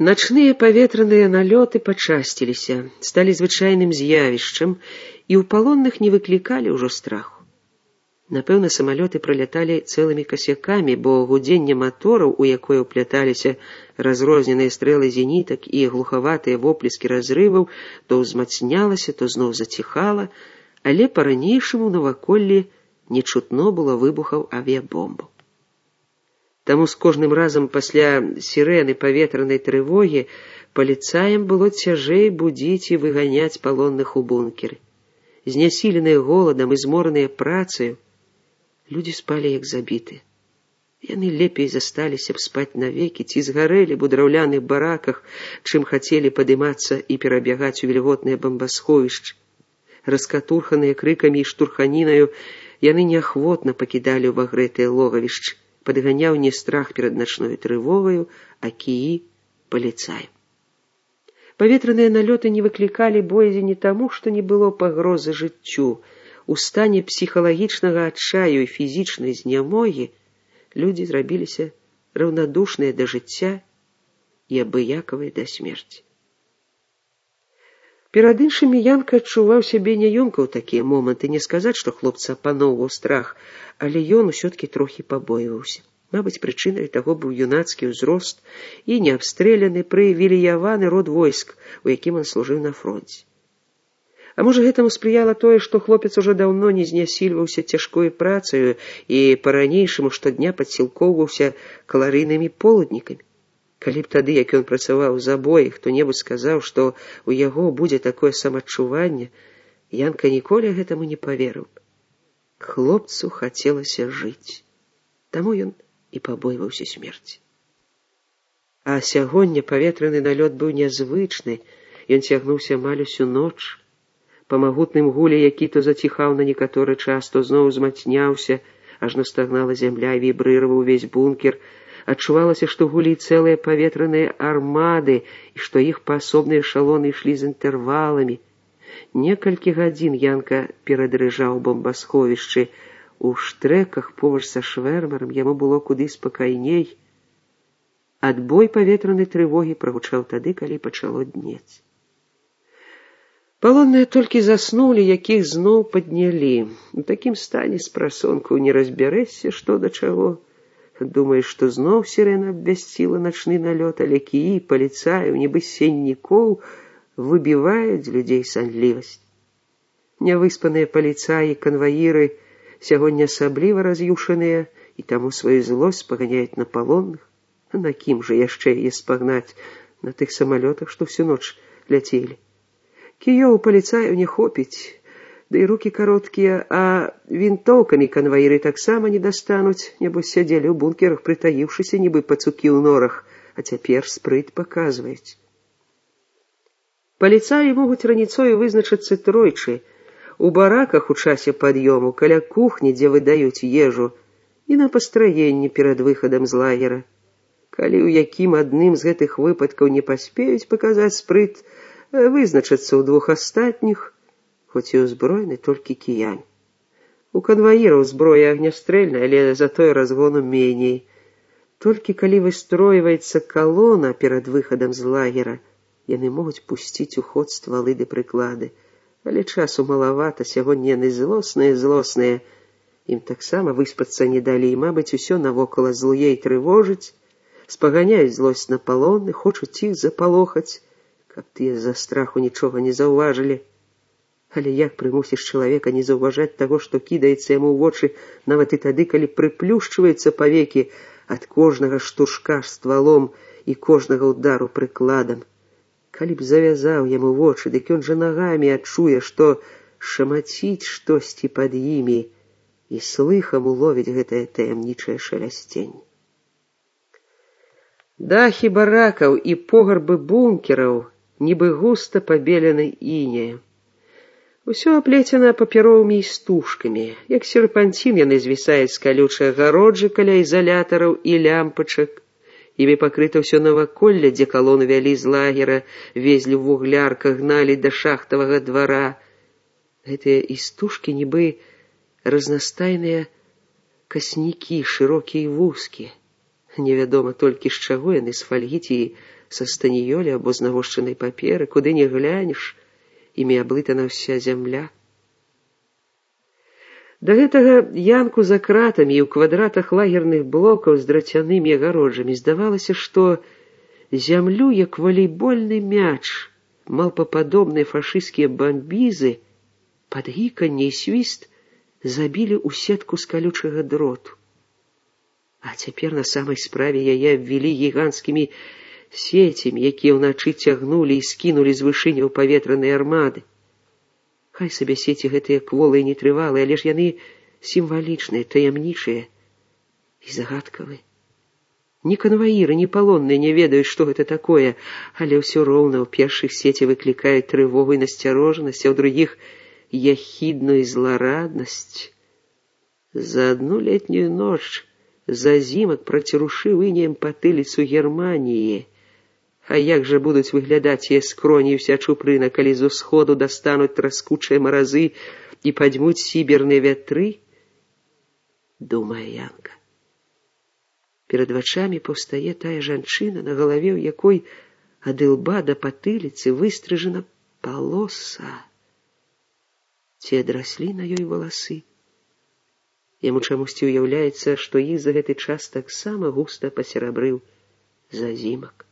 Начныя паветраныя налёты пачасціліся, сталі звычайным з'явішчам і ў палонных не выклікалі ўжо страху. Напэўна, самалёты праляталі цэлымі касякамі, бо гудзенне матораў, у якое ўпляталіся разрозненыя стрэлы зенітак і глухаватыя воплескі разрываў, то ўзмацнялася, то зноў заціхала, але па-ранейшаму наваколлі не чутно было выбухаў авіябомбаў. Таму з кожным разам пасля сірэны паветранай трывогі паліцаям было цяжэй будзіць і выганяць палонных у бункеры. Знясіленыя голадам і змораныя працаю, людзі спалі як забітыя. Яны лепей засталіся б спаць навекі ці згарэлі б у драўляных бараках, чым хацелі падымацца і перабягаць у вільготныя бамбасховішчы. Раскатурханыя крыкамі і штурханінаю, яны неахвотна пакідалі ў вагрэтыя логавішчы. Падганяў не страх перад начной трывогаю, а кіі паліцаю. Паветраныя налёты не выклікалі боязі не таму, што не было пагрозы жыццю. У стане псіхалагічнага адчаю і фізічнай знямогі людзі зрабіліся раўнадушныя да жыцця і абыякавыя да смерці. Перад іншымі Янка адчуваў сябе няёмка ў такія моманты, не сказаць, што хлопца апаноўваў страх, але ён усё-ткі трохі пабойваўся. Мабыць, прычынай таго быў юнацкі ўзрост і неабстрэляны, прывілеяваны род войск, у якім ён служыў на фронце. А можа, гэтаму спрыяла тое, што хлопец ужо даўно не знясільваўся цяжкой працаю і па-ранейшаму штодня падсілкоўваўся каларыйнымі полуднікамі. Калі б тады, як ён працаваў з абоіх, хто-небудзь сказаў, што ў яго будзе такое самадчуванне, Янка ніколі гэтаму не паверыў. Хлопцу хацелася жыць. Таму ён і пабойваўся смерці. А сягоння паветраны налёт быў нязвычны, ён цягнуўся амаль усю ноч. Па магутным гуле, які то заціхаў на некаторы час, то зноў узмацняўся, ажно стагнала зямля і вібрыраваў увесь бункер. Адчувалася, што гулі цэлыя паветраныя армады і што іх паасобныя эшалоны ішлі з інтэрваламі. Некалькі гадзін Янка перадрыжаў бомбасховішчы. У штрэках побач са швэрмарам яму было куды спакайней. Адбой паветранай трывогі прагучаў тады, калі пачало днець. Палонныя толькі заснулі, якіх зноў паднялі. У такім стане з прасонку не разбярэшся, што да чаго. Думаеш, што зноў сірэна абвясціла начны налёт, але кіі паліцаяў, нібы сеннікоў, выбіваюць людзей санлівасць. Нявыспаныя паліцаі і канваіры сягоння асабліва раз'юшаныя і таму сваю злосць спаганяюць на палонных. А на кім жа яшчэ яе спагнаць? На тых самалётах, што всю ноч ляцелі. Кіёў паліцаяў не хопіць, ды і рукі кароткія, а вінтоўкамі канваіры таксама не дастануць, небось сядзелі ў бункерах, прытаіўшыся, нібы пацукі ў норах, а цяпер спрыт паказваюць. Паліцаі могуць раніцою вызначыцца тройчы. У бараках у часе пад'ёму, каля кухні, дзе выдаюць ежу, і на пастраенні перад выхадам з лагера. Калі ў якім адным з гэтых выпадкаў не паспеюць паказаць спрыт, вызначацца ў двух астатніх, хоць і ўзброены толькі кіянь. У канваіраў зброя агнястрэльная, але затое разгону меней. Толькі калі выстройваецца калона перад выхадам з лагера, яны могуць пусціць у ход ствалы ды прыклады. Але часу малавата, сягоння яны злосныя. Ім таксама выспацца не далі, і, мабыць, усё навокала злуе і трывожыць, спаганяюць злосць на палонных, хочуць іх запалохаць, каб тыя з-за страху нічога не заўважылі. Але як прымусіш чалавека не заўважаць таго, што кідаецца яму ў вочы, нават і тады, калі прыплюшчваюцца павекі ад кожнага штуршка ствалом і кожнага ўдару прыкладам? Калі б завязаў яму вочы, дык ён жа нагамі адчуе, што шамаціць штосьці пад імі, і слыхам уловіць гэтае таямнічае шалясценне. Дахі баракаў і пограбы бункераў нібы густа пабелены інеем. Усё аплецена папяровымі істужкамі. Як серпанцін яны звісаюць з калючай агароджы каля ізалятараў і лямпачак. Імі пакрыта ўсё наваколле, дзе калону вялі з лагера, везлі ў вуглярках, гналі да шахтавага двара. Гэтыя істужкі нібы разнастайныя каснікі, шырокія і вузкія. Невядома толькі з чаго яны, з фальгі ці са станіёлі або з навошчанай паперы, куды не глянеш, імі аблытана ўся зямля. Да гэтага янку за кратамі і ў квадратах лагерных блокаў з драцянымі агароджамі здавалася, што зямлю, як валейбольны мяч, малпападобныя фашысцкія бамбізы, пад гіканне і свіст забілі ў сетку з калючага дроту. А цяпер на самай справе яе абвілі гіганцкімі сецямі, якія ўначы цягнулі і скінулі з вышыні ў паветраныя армады. Хай сабе сеці гэтыя кволыя і нетрывалыя, але ж яны сімвалічныя, таямнічыя і загадкавыя. Ні канваіры, ні палонныя не ведаюць, што гэта такое, але ўсё роўна ў першых сеці выклікаюць трывогу і насцярожанасць, а ў другіх яхідную злараднасць. За одну летнюю ноч зазімак працірушыў інеем патыліцу Германіі. А як жа будуць выглядаць яе скроні і ўся чупрына, калі з усходу достануць траскучыя маразы і падзьмуць сіберныя вятры? Думае янка. Перад вачамі паўстае тая жанчына, на галаве ў якой ад ілба да патыліцы выстрыжана палоса. Ці адраслі на ёй валасы? Яму чамусьці ўяўляецца, што іх за гэты час таксама густа пасерабрыў зазімак.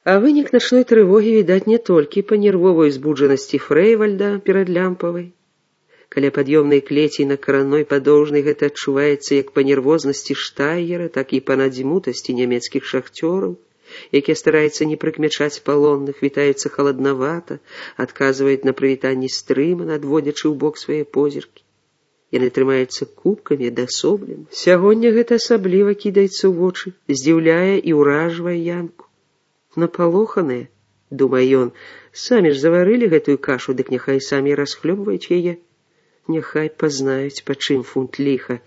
А вынік начной трывогі відаць не толькі па нервовай узбуджанасці Фрэйвальда перад Лямпавай. Каля пад'ёмнай клеці на каранной падоўжнай гэта адчуваецца як па нервознасці Штайгера, так і па надзьмутасці нямецкіх шахцёраў, якія стараюцца не прыкмячаць палонных, вітаюцца халаднавата, адказваюць на прывітанні стрымана, адводзячы ў бок свае позіркі. Яны трымаюцца кубкамі, адасоблена. Сягоння гэта асабліва кідаецца ў вочы, здзіўляе і ўражвае янку. Напалоханыя, думае ён, самі ж заварылі гэтую кашу, дык няхай самі расхлёбваюць яе. Няхай пазнаюць, па чым фунт ліха.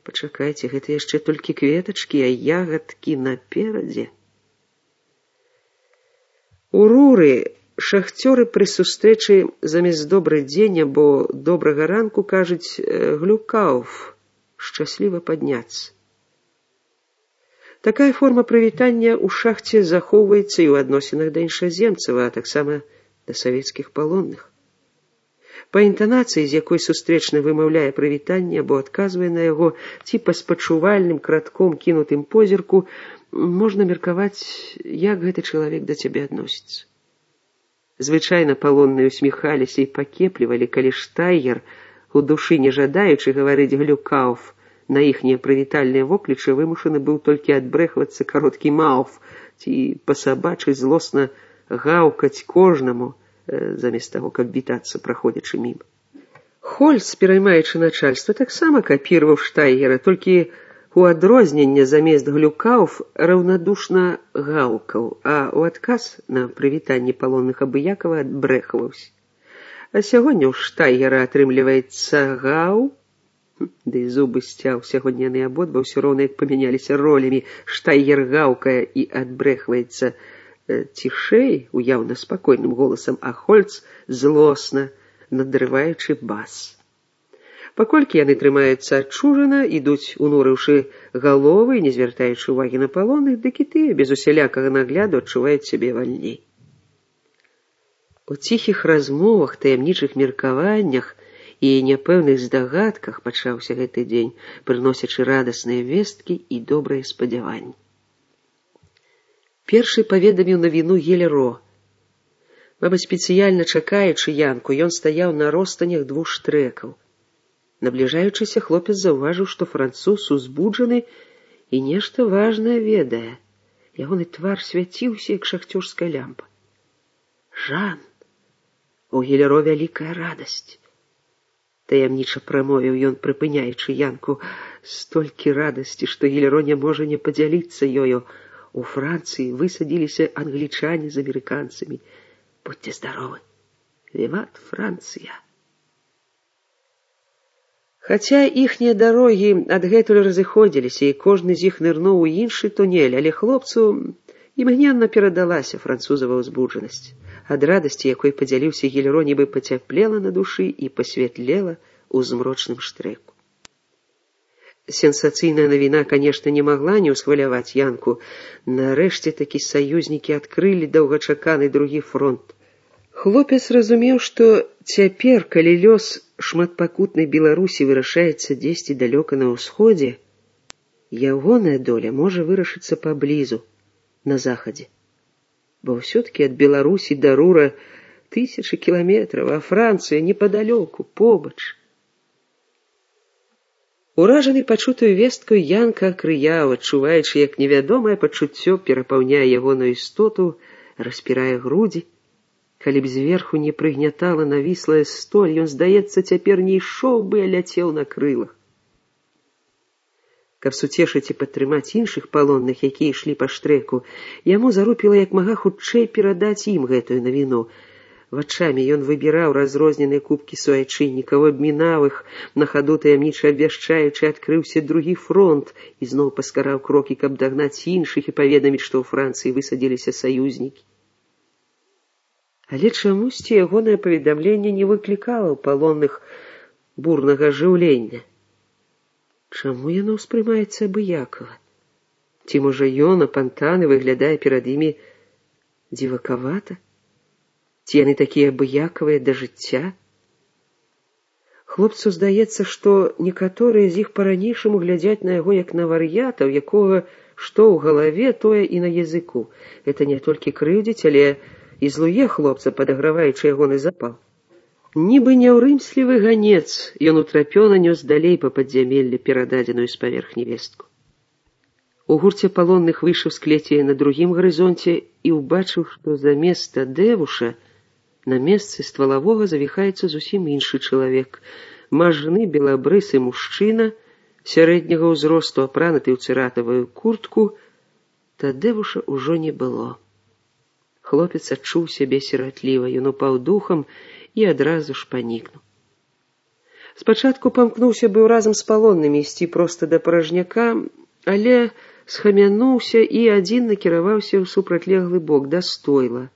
Пачакайце, гэта яшчэ толькі кветачкі, а ягадкі наперадзе. У Руры шахцёры пры сустрэчы замест добрый дзень або добрага ранку кажуць глюкауф, шчасліва падняцца. Такая форма прывітання ў шахце захоўваецца і ў адносінах да іншаземцаў, а таксама да савецкіх палонных. Па інтанацыі, з якой сустрэчны вымаўляе прывітанне або адказвае на яго, ці па спачувальным кратком кінутым позірку, можна меркаваць, як гэты чалавек да цябе адносіцца. Звычайна палонныя усміхаліся і пакеплівалі, калі Штайгер, у душы не жадаючы гаварыць глюкауф, на іхнія прывітальныя воклічы вымушаны быў толькі адбрэхвацца кароткі мауф, ці па-сабачы злосна гаўкаць кожнаму, замест таго, каб вітацца, праходзячы міма. Хольц, пераймаючы начальства, таксама капіраваў Штайгера, толькі у адрозненне замест глюкауф раўнадушна гаўкаў, а ў адказ на прывітанне палонных абыякава адбрэхваўся. А сягоння ў Штайгера атрымліваецца гаў, ды і зубы сцяў, сягоння яны абодва ўсё роўна як памяняліся ролямі. Штайгер гаўкае і адбрэхваецца цішэй, уяўна спакойным голасам, а Хольц злосна, надрываючы бас. Паколькі яны трымаюцца адчужана, ідуць, унурыўшы галовы, не звяртаючы ўвагі на палонных, дык і тыя без усялякага нагляду адчуваюць сябе вальней. У ціхіх размовах, таямнічых меркаваннях і няпэўных здагадках пачаўся гэты дзень, прыносячы радасныя весткі і добрыя спадзяванні. Першы паведаміў навіну Гелеро. Мабыць, спецыяльна чакаючы янку, ён стаяў на ростанях двух штрэкаў. Набліжаючыся, хлопец заўважыў, што француз узбуджаны і нешта важнае ведае. Ягоны твар свяціўся, як шахцёрская лямпа. Жан! У Гелеро вялікая радасць. Таямніча прамовіў ён, прыпыняючы янку. Столькі радасці, што Гелеро не можа не падзяліцца ёю. У Францыі высадзіліся англічане з амерыканцамі. Будьце здаровы. Віват Францыя. Хаця іхнія дарогі адгэтуль разыходзіліся, і кожны з іх нырнуў у іншы тунель, але хлопцу імгненна перадалася французава ўзбуджанасць. Ад радасці, якой падзяліўся Гелеро, нібы пацяплела на душы і пасвятлела ў змрочным штрэку. Сенсацыйная навіна, конечно, не могла не ўсхваляваць Янку. Нарэшце такі саюзнікі адкрылі доўгачаканы другі фронт. Хлопец разумеў, што цяпер, калі лёс шматпакутнай Беларусі вырашаецца дзесьці далёка на ўсходзе, ягоная доля можа вырашыцца паблізу, на захадзе. Бо ўсё-такі ад Беларусі да Рура 1000 кіламетраў, а Францыя непадалёку, побач. Уражаны пачутую весткаю, Янка акрыяў, адчуваючы, як невядомае пачуццё перапаўняе ягоную істоту, распірае грудзі. Калі б зверху не прыгнятала навіслая столь, ён, здаецца, цяпер не ішоў бы, а ляцеў на крылах. Каб суцешыць і падтрымаць іншых палонных, якія ішлі па штрэку, яму зарупіла як мага хутчэй перадаць ім гэтую навіну. Вачамі ён выбіраў разрозненыя кубкі суайчыннікаў, абмінаў іх, на хаду таямніча абвяшчаючы, адкрыўся другі фронт, і зноў паскараў крокі, каб дагнаць іншых і паведаміць, што ў Францыі высадзіліся саюзнікі. Але чамусьці ягонае паведамленне не выклікала ў палонных бурнага ажыўлення. Чаму яно ўспрымаецца абыякава? Ці, можа, ён, апантаны, выглядае перад імі дзівакавата? Ці яны такія абыякавыя да жыцця? Хлопцу здаецца, што некаторыя з іх па-ранейшаму глядзяць на яго як на вар'ята, у якога што ў галаве, тое і на языку. Гэта не толькі крыўдзіць, але і злуе хлопца, падаграваючы ягоны запал. Нібы няўрымслівы ганец, ён утрапёна нёс далей па падзямеллі перададзеную з паверхні вестку. У гурце палонных выйшаў з клеці на другім гарызонце і ўбачыў, што замест Тадзеуша на месцы ствалавога завіхаецца зусім іншы чалавек. Мажны белабрысы мужчына, сярэдняга ўзросту, апрануты ў цыратавую куртку. Тадзеуша ўжо не было. Хлопец адчуў сябе сіратліва, ён упаў духам і адразу ж панікнуў. Спачатку памкнуўся быў разам з палоннымі ісці проста да паражняка, але схамянуўся і адзін накіраваўся ў супрацьлеглы бок, да стойла.